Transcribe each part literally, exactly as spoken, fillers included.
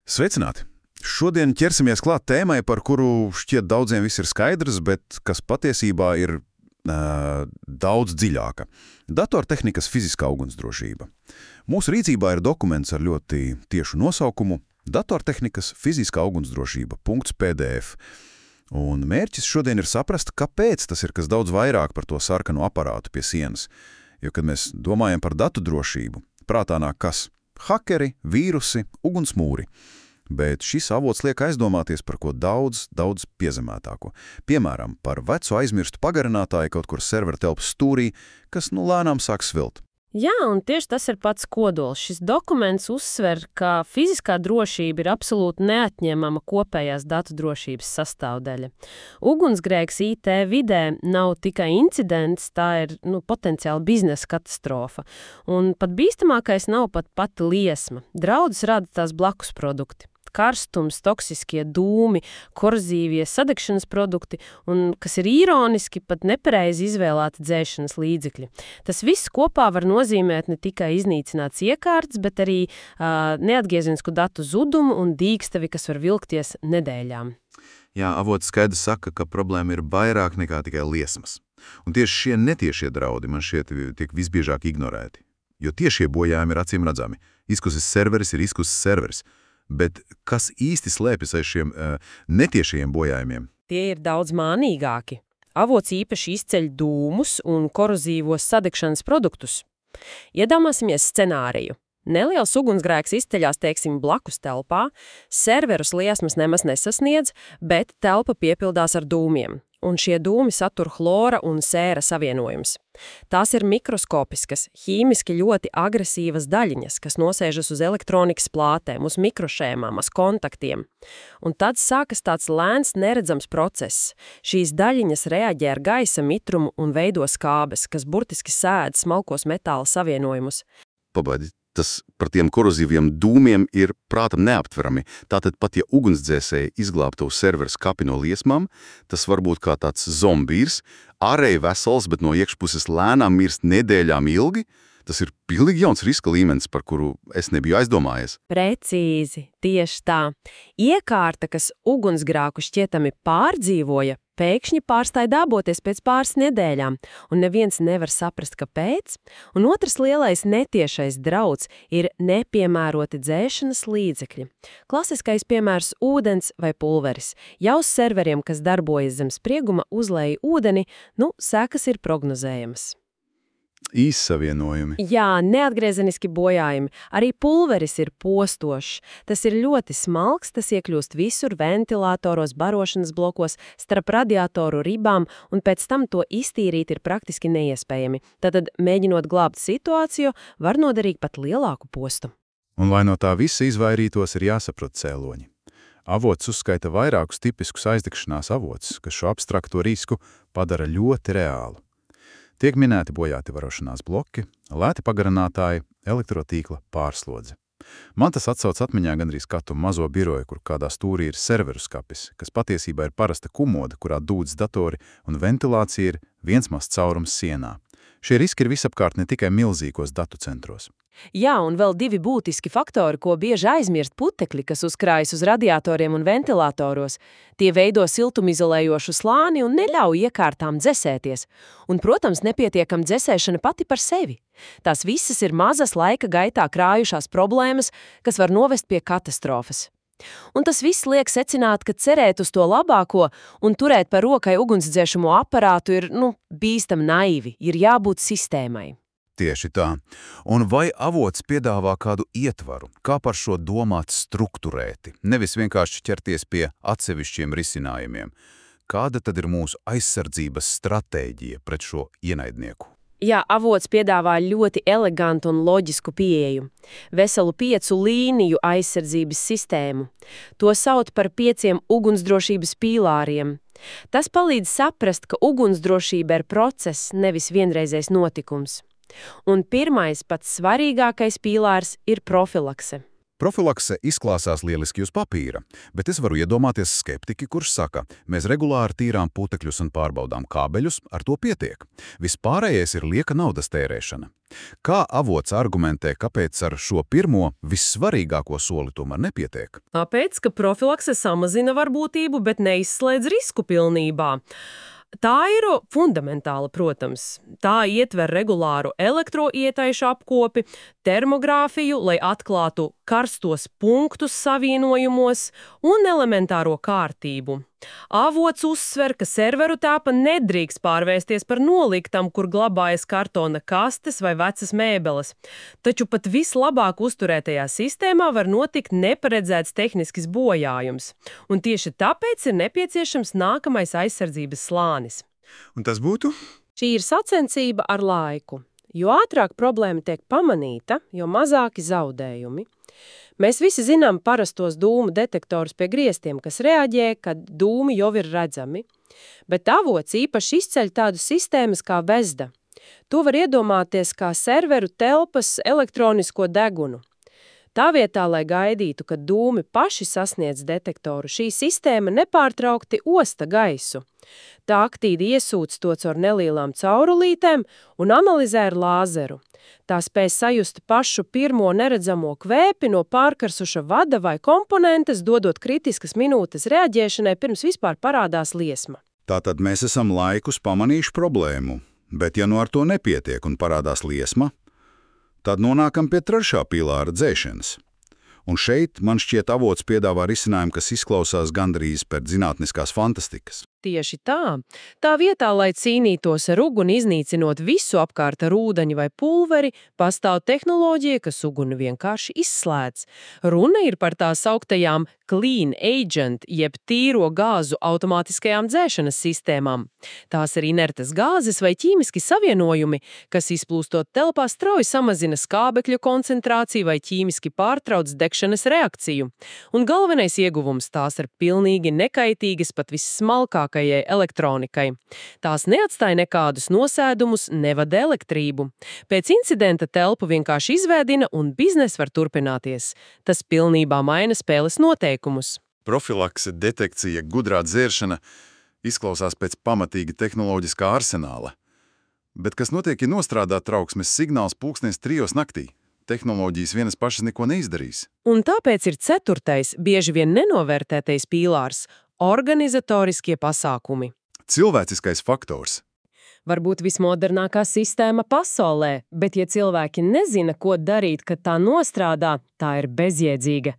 Sveicināti! Šodien ķersimies klāt tēmai, par kuru šķiet daudziem viss ir skaidrs, bet kas patiesībā ir uh, daudz dziļāka. Datortehnikas fiziskā ugunsdrošība. Mūsu rīcībā ir dokuments ar ļoti tiešu nosaukumu Datortehnikas fiziskā ugunsdrošība .pdf. Un mērķis šodien ir saprast, kāpēc tas ir kas daudz vairāk par to sarkanu aparātu pie sienas. Jo, kad mēs domājam par datu drošību, prātā nāk kas? Hakeri, vīrusi, ugunsmūri. Bet šis avots liek aizdomāties par ko daudz, daudz piezemētāko. Piemēram, par vecu aizmirstu pagarinātāju kaut kur servera telpas stūrī, kas nu lēnām sāk svilt. Jā, un tieši tas ir pats kodols. Šis dokuments uzsver, ka fiziskā drošība ir absolūti neatņemama kopējās datu drošības sastāvdaļa. Ugunsgrēks I T vidē nav tikai incidents, tā ir nu, potenciāli biznesa katastrofa. Un pat bīstamākais nav pat pati liesma. Draudus rada tās blakus produkti. Karstums, toksiskie dūmi, korzīvie sadegšanas produkti un, kas ir īroniski, pat nepareizi izvēlēti dzēšanas līdzekļi. Tas viss kopā var nozīmēt ne tikai iznīcināts iekārtas, bet arī uh, neatgriezenisku datu zudumu un dīkstavi, kas var vilkties nedēļām. Jā, avots skaidri saka, ka problēma ir vairāk nekā tikai liesmas. Un tieši šie netiešie draudi man šķiet tiek visbiežāk ignorēti. Jo tiešie bojājumi ir acīm redzami. Izkusis serveris ir izkusis serveris. Bet kas īsti slēpjas aiz šiem uh, netiešajiem bojājumiem? Tie ir daudz mānīgāki. Avots īpaši izceļ dūmus un korozīvos sadegšanas produktus. Iedomāsimies scenāriju. Neliels ugunsgrēks izceļās, teiksim, blakus telpā, serverus liesmas nemaz nesasniedz, bet telpa piepildās ar dūmiem. Un šie dūmi satur chlora un sēra savienojums. Tās ir mikroskopiskas, ķīmiski ļoti agresīvas daļiņas, kas nosēžas uz elektronikas plātēm, uz mikrošēmām, uz kontaktiem. Un tad sākas tāds lēns, neredzams process. Šīs daļiņas reaģē ar gaisa mitrumu un veido skābes, kas burtiski sēd smalkos metāla savienojumus. Pabaidi. Tas par tiem korozīviem dūmiem ir prātam neaptverami. Tātad pat ja ugunsdzēsēji izglābtu serveru skapi no liesmām, tas var būt kā tāds zombīrs, ārēji vesels, bet no iekšpuses lēnām mirst nedēļām ilgi. Tas ir pilnīgi jauns riska līmenis, par kuru es nebiju aizdomājies. Precīzi, tieši tā. Iekārta, kas ugunsgrāku šķietami pārdzīvoja, pēkšņi pārstāja dāboties pēc pāris nedēļām, un neviens nevar saprast, kāpēc. Un otrs lielais netiešais drauds ir nepiemēroti dzēšanas līdzekļi. Klasiskais piemērs – ūdens vai pulveris. Jau uz serveriem, kas darbojas zem sprieguma, uzlēja ūdeni, nu, sekas ir prognozējamas. Īssavienojumi. Jā, neatgriezeniski bojājumi. Arī pulveris ir postošs. Tas ir ļoti smalks, tas iekļūst visur ventilatoros, barošanas blokos, starp radiatoru ribām, un pēc tam to iztīrīt ir praktiski neiespējami. Tātad, mēģinot glābt situāciju, var nodarīt pat lielāku postu. Un lai no tā visa izvairītos, ir jāsaprot cēloņi. Avots uzskaita vairākus tipiskus aizdegšanās avotus, kas šo abstrakto risku padara ļoti reālu. Tiek minēti bojāti varošanās bloki, lēti pagarinātāji, elektrotīkla pārslodze. Man tas atsauc atmiņā gandrīz katru mazo biroju, kur kādā stūrī ir serveru skapis, kas patiesībā ir parasta kumoda, kurā dūdas datori un ventilācija ir viens mazs caurums sienā. Šie riski ir visapkārt ne tikai milzīgos datu centros. Jā, un vēl divi būtiski faktori, ko bieži aizmirst putekļi, kas uzkrājas uz radiatoriem un ventilatoros. Tie veido siltumizolējošu slāni un neļauj iekārtām dzesēties. Un, protams, nepietiekama dzesēšana pati par sevi. Tās visas ir mazas laika gaitā krājušās problēmas, kas var novest pie katastrofas. Un tas viss liek secināt, ka cerēt uz to labāko un turēt par rokai ugunsdzēšamo aparātu ir, nu, bīstam naivi, ir jābūt sistēmai. Tieši tā. Un vai avots piedāvā kādu ietvaru, kā par šo domāt strukturēti, nevis vienkārši ķerties pie atsevišķiem risinājumiem? Kāda tad ir mūsu aizsardzības stratēģija pret šo ienaidnieku? Jā, avots piedāvā ļoti elegantu un loģisku pieeju. Veselu piecu līniju aizsardzības sistēmu. To sauc par pieciem ugunsdrošības pīlāriem. Tas palīdz saprast, ka ugunsdrošība ir process, nevis vienreizējs notikums. Un pirmais, pats svarīgākais pīlārs ir profilakse. Profilakse izklāsās lieliski uz papīra, bet es varu iedomāties skeptiķi, kurš saka, mēs regulāri tīrām putekļus un pārbaudām kābeļus, ar to pietiek. Vispārējais ir lieka naudas tērēšana. Kā avots argumentē, kāpēc ar šo pirmo, vissvarīgāko soli tomēr nepietiek? Tāpēc, ka profilakse samazina varbūtību, bet neizslēdz risku pilnībā. Tā ir fundamentāla, protams. Tā ietver regulāru elektroietaišu apkopi, termogrāfiju, lai atklātu karstos punktus savienojumos un elementāro kārtību. Avots uzsver, ka serveru tāpa nedrīkst pārvērsties par noliktam, kur glabājas kartona kastes vai vecas mēbeles. Taču pat vislabāk uzturētajā sistēmā var notikt neparedzēts tehnisks bojājums. Un tieši tāpēc ir nepieciešams nākamais aizsardzības slānis. Un tas būtu? Šī ir sacensība ar laiku. Jo ātrāk problēma tiek pamanīta, jo mazāki zaudējumi. Mēs visi zinām parastos dūmu detektorus pie griestiem, kas reaģē, kad dūmi jau ir redzami, bet avots īpaši izceļ tādu sistēmas kā Vezda. To var iedomāties kā serveru telpas elektronisko degunu. Tā vietā, lai gaidītu, kad dūmi paši sasniedz detektoru, šī sistēma nepārtraukti osta gaisu. Tā aktīvi iesūc to caur nelielām caurulītēm un analizē ar lāzeru. Tā spēj sajust pašu pirmo neredzamo kvēpi no pārkarsuša vada vai komponentes, dodot kritiskas minūtes reaģēšanai, pirms vispār parādās liesma. Tātad mēs esam laikus pamanījuši problēmu, bet ja nu ar to nepietiek un parādās liesma, tad nonākam pie trešā pilāra dzēšanas. Un šeit, man šķiet, avots piedāvā risinājumu, kas izklausās gandrīz pēc zinātniskās fantastikas. Tieši tā. Tā vietā, lai cīnītos ar uguni iznīcinot visu apkārt ar ūdeņu vai pulveri, pastāv tehnoloģija, kas uguni vienkārši izslēdz. Runa ir par tā sauktajām clean agent, jeb tīro gāzu automātiskajām dzēšanas sistēmām. Tās ir inertas gāzes vai ķīmiski savienojumi, kas izplūstot telpā strauji samazina skābekļu koncentrāciju vai ķīmiski pārtrauc degšanas reakciju. Un galvenais ieguvums, tās ir pilnīgi nekaitīgas pat vissmalkāk elektronikai. Tās neatstāja nekādus nosēdumus, nevada elektrību. Pēc incidenta telpu vienkārši izvēdina un biznes var turpināties. Tas pilnībā maina spēles noteikumus. Profilakse, detekcija, gudrā dzēršana izklausās pēc pamatīga tehnoloģiskā arsenāla. Bet kas notiek, ja nostrādā trauksmes signāls pulkstens trijos naktī? Tehnoloģijas vienas pašas neko neizdarīs. Un tāpēc ir ceturtais, bieži vien nenovērtētais pīlārs – organizatoriskie pasākumi. Cilvēciskais faktors. Varbūt vismodernākā sistēma pasaulē, bet ja cilvēki nezina, ko darīt, kad tā nostrādā, tā ir bezjēdzīga.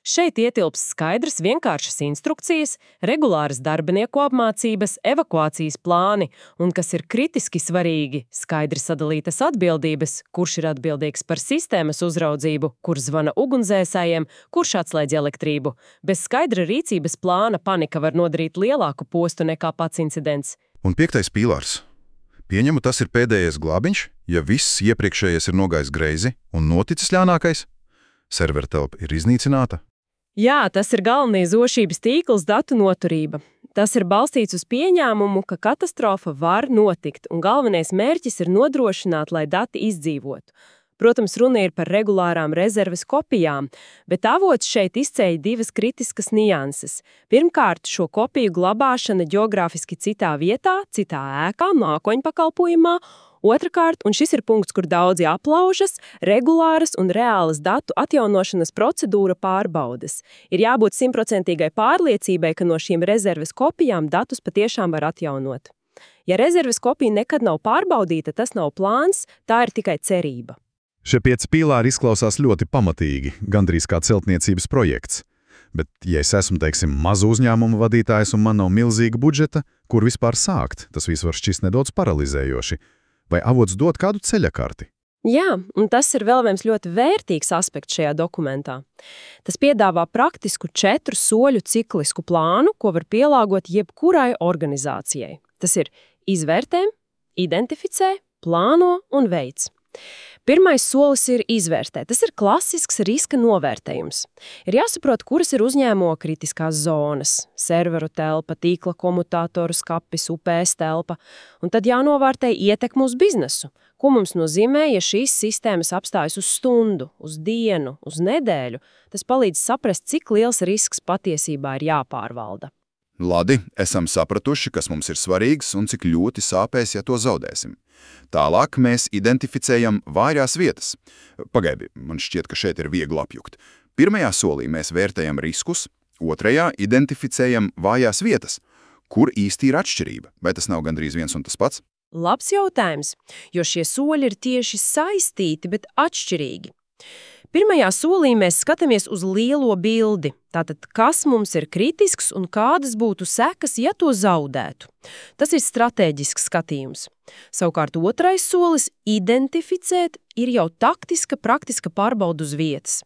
Šeit ietilps skaidrs vienkāršas instrukcijas, regulāras darbinieku apmācības, evakuācijas plāni un, kas ir kritiski svarīgi, skaidri sadalītas atbildības, kurš ir atbildīgs par sistēmas uzraudzību, kurš zvana ugunsdzēsējiem, kurš atslēdz elektrību. Bez skaidra rīcības plāna panika var nodarīt lielāku postu nekā pats incidents. Un piektais pīlārs. Pieņemu, tas ir pēdējais glābiņš, ja viss iepriekšējais ir nogājis greizi un noticis ļaunākais. Servertelpa ir iznīcināta. Jā, tas ir galvenais drošības tīkls datu noturība. Tas ir balstīts uz pieņēmumu, ka katastrofa var notikt, un galvenais mērķis ir nodrošināt, lai dati izdzīvotu. Protams, runa ir par regulārām rezerves kopijām, bet avots šeit izceļ divas kritiskas nianses. Pirmkārt, šo kopiju glabāšana ģeogrāfiski citā vietā, citā ēkā, mākoņpakalpojumā. Otrakārt, un šis ir punkts, kur daudzi aplaužas, regulāras un reālas datu atjaunošanas procedūra pārbaudes. Ir jābūt simtprocentīgai pārliecībai, ka no šīm rezerves kopijām datus patiešām var atjaunot. Ja rezerves kopija nekad nav pārbaudīta, tas nav plāns, tā ir tikai cerība. Šie pieci pīlāri izklausās ļoti pamatīgi, gandrīz kā celtniecības projekts. Bet, ja es esmu, teiksim, mazu uzņēmumu vadītājs un man nav milzīga budžeta, kur vispār sākt, tas viss var šķist nedaudz paralizējoši. Vai avots dod kādu ceļakarti? Jā, un tas ir vēl viens ļoti vērtīgs aspekts šajā dokumentā. Tas piedāvā praktisku četru soļu ciklisku plānu, ko var pielāgot jebkurai organizācijai. Tas ir izvērtē, identificē, plāno un veic. Pirmais solis ir izvērtēt. Tas ir klasisks riska novērtējums. Ir jāsaprot, kuras ir uzņēmuma kritiskās zonas – serveru telpa, tīkla komutatoru skapis, U P S telpa, un tad jānovērtē ietekme uz biznesu. Ko mums nozīmē, ja šīs sistēmas apstājas uz stundu, uz dienu, uz nedēļu? Tas palīdz saprast, cik liels risks patiesībā ir jāpārvalda. Labi, esam sapratuši, kas mums ir svarīgs un cik ļoti sāpēs, ja to zaudēsim. Tālāk mēs identificējam vājās vietas. Pagaidi, man šķiet, ka šeit ir viegli apjukt. Pirmajā solī mēs vērtējam riskus, otrajā identificējam vājās vietas. Kur īsti ir atšķirība? Vai tas nav gandrīz viens un tas pats? Labs jautājums, jo šie soļi ir tieši saistīti, bet atšķirīgi. Pirmajā solī mēs skatāmies uz lielo bildi, tātad kas mums ir kritisks un kādas būtu sekas, ja to zaudētu. Tas ir stratēģisks skatījums. Savukārt otrais solis – identificēt ir jau taktiska, praktiska pārbauda uz vietas.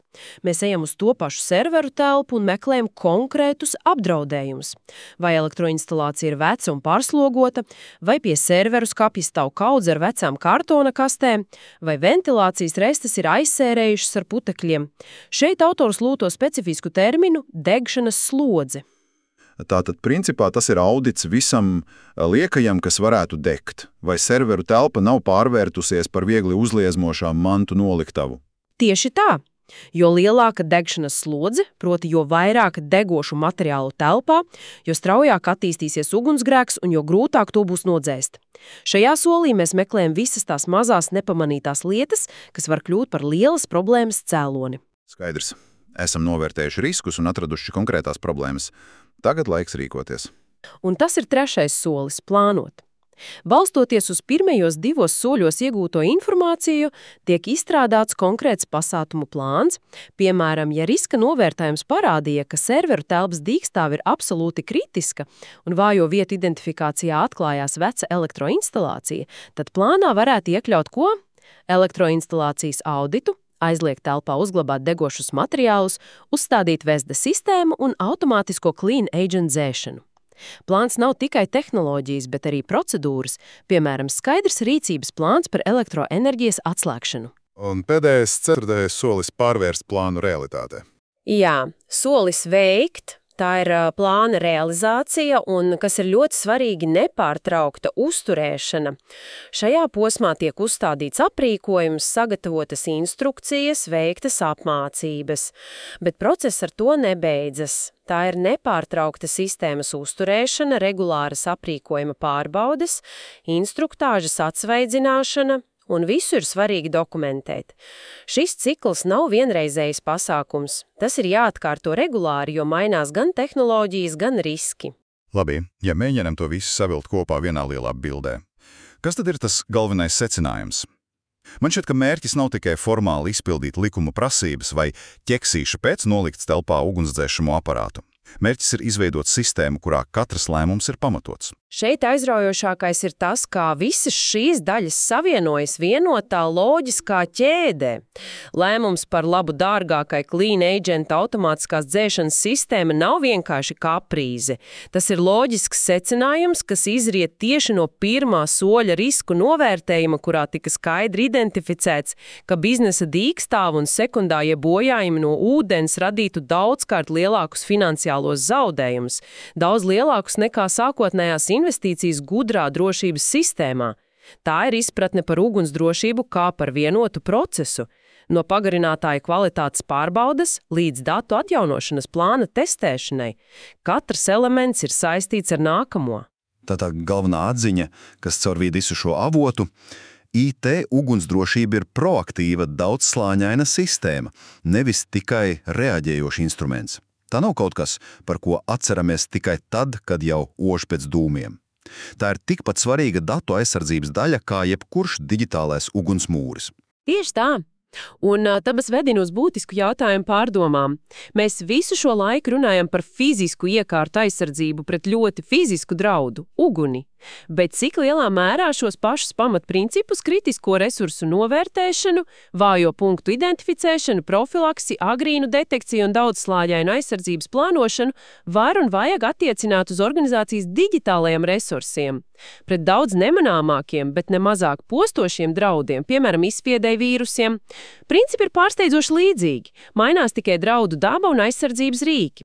Mēs ejam uz to pašu serveru telpu un meklējam konkrētus apdraudējumus. Vai elektroinstalācija ir veca un pārslogota, vai pie serveru skapja stāv kaudze ar vecām kartona kastēm, vai ventilācijas restes ir aizsērējušas ar putekļiem. Šeit autors lūto specifisku terminu degšanas slodze. Tātad, principā, tas ir audits visam liekajam, kas varētu degt, vai serveru telpa nav pārvērtusies par viegli uzliezmošām mantu noliktavu. Tieši tā, jo lielāka degšanas slodze, proti jo vairāk degošu materiālu telpā, jo straujāk attīstīsies ugunsgrēks un jo grūtāk to būs nodzēst. Šajā solī mēs meklējam visas tās mazās nepamanītās lietas, kas var kļūt par lielas problēmas cēloni. Skaidrs. Esam novērtējuši riskus un atraduši konkrētās problēmas. Tagad laiks rīkoties. Un tas ir trešais solis – plānot. Balstoties uz pirmajos divos soļos iegūto informāciju, tiek izstrādāts konkrēts pasākumu plāns. Piemēram, ja riska novērtējums parādīja, ka serveru telpas dīkstāve ir absolūti kritiska un vājo vietu identifikācijā atklājās veca elektroinstalācija, tad plānā varētu iekļaut ko? Elektroinstalācijas auditu, aizliegt telpā uzglabāt degošus materiālus, uzstādīt Vesda sistēmu un automātisko clean agent dzēšanu. Plāns nav tikai tehnoloģijas, bet arī procedūras, piemēram, skaidrs rīcības plāns par elektroenerģijas atslēgšanu. Un pēdējais ceturtais solis pārvērst plānu realitātē. Jā, solis veikt. Tā ir plāna realizācija un, kas ir ļoti svarīgi, nepārtraukta uzturēšana. Šajā posmā tiek uzstādīts aprīkojums, sagatavotas instrukcijas, veiktas apmācības. Bet process ar to nebeidzas. Tā ir nepārtraukta sistēmas uzturēšana, regulāras aprīkojuma pārbaudes, instruktāžas atsvaidzināšana. Un visu ir svarīgi dokumentēt. Šis cikls nav vienreizējs pasākums. Tas ir jāatkārto regulāri, jo mainās gan tehnoloģijas, gan riski. Labi, ja mēģinām to visu savilkt kopā vienā lielā bildē. Kas tad ir tas galvenais secinājums? Man šķiet, ka mērķis nav tikai formāli izpildīt likuma prasības vai ķeksīša pēc nolikts telpā ugunsdzēšamo aparātu. Mērķis ir izveidot sistēmu, kurā katrs lēmums ir pamatots. Šeit aizraujošākais ir tas, kā visas šīs daļas savienojas vienotā loģiskā ķēdē. Lēmums par labu dārgākai clean agent automātiskās dzēšanas sistēma nav vienkārši kaprīze. Tas ir loģisks secinājums, kas izriet tieši no pirmā soļa risku novērtējuma, kurā tika skaidri identificēts, ka biznesa dīkstāve un sekundārie bojājumi no ūdens radītu daudzkārt lielākus finansiālos zaudējumus, daudz lielākus nekā sākotnējās investīcijas gudrā drošības sistēmā. Tā ir izpratne par ugunsdrošību kā par vienotu procesu, no pagarinātāja kvalitātes pārbaudes līdz datu atjaunošanas plāna testēšanai. Katrs elements ir saistīts ar nākamo. Tā tā galvenā atziņa, kas caur visu šo avotu, I T ugunsdrošība ir proaktīva, daudzslāņaina sistēma, nevis tikai reaģējošs instruments. Tā nav kaut kas, par ko atceramies tikai tad, kad jau ož pēc dūmiem. Tā ir tikpat svarīga datu aizsardzības daļa kā jebkurš digitālais ugunsmūris. Tieši tā. Un tāpēc vedina uz būtisku jautājumu pārdomām. Mēs visu šo laiku runājam par fizisku iekārtu aizsardzību pret ļoti fizisku draudu – uguni. Bet cik lielā mērā šos pašus pamatprincipus, kritisko resursu novērtēšanu, vājo punktu identificēšanu, profilaksi, agrīnu detekciju un daudzslāņainu aizsardzības plānošanu var un vajag attiecināt uz organizācijas digitālajiem resursiem? Pret daudz nemanāmākiem, bet nemazāk postošiem draudiem, piemēram, izspiedēju vīrusiem, principi ir pārsteidzoši līdzīgi, mainās tikai draudu daba un aizsardzības rīki.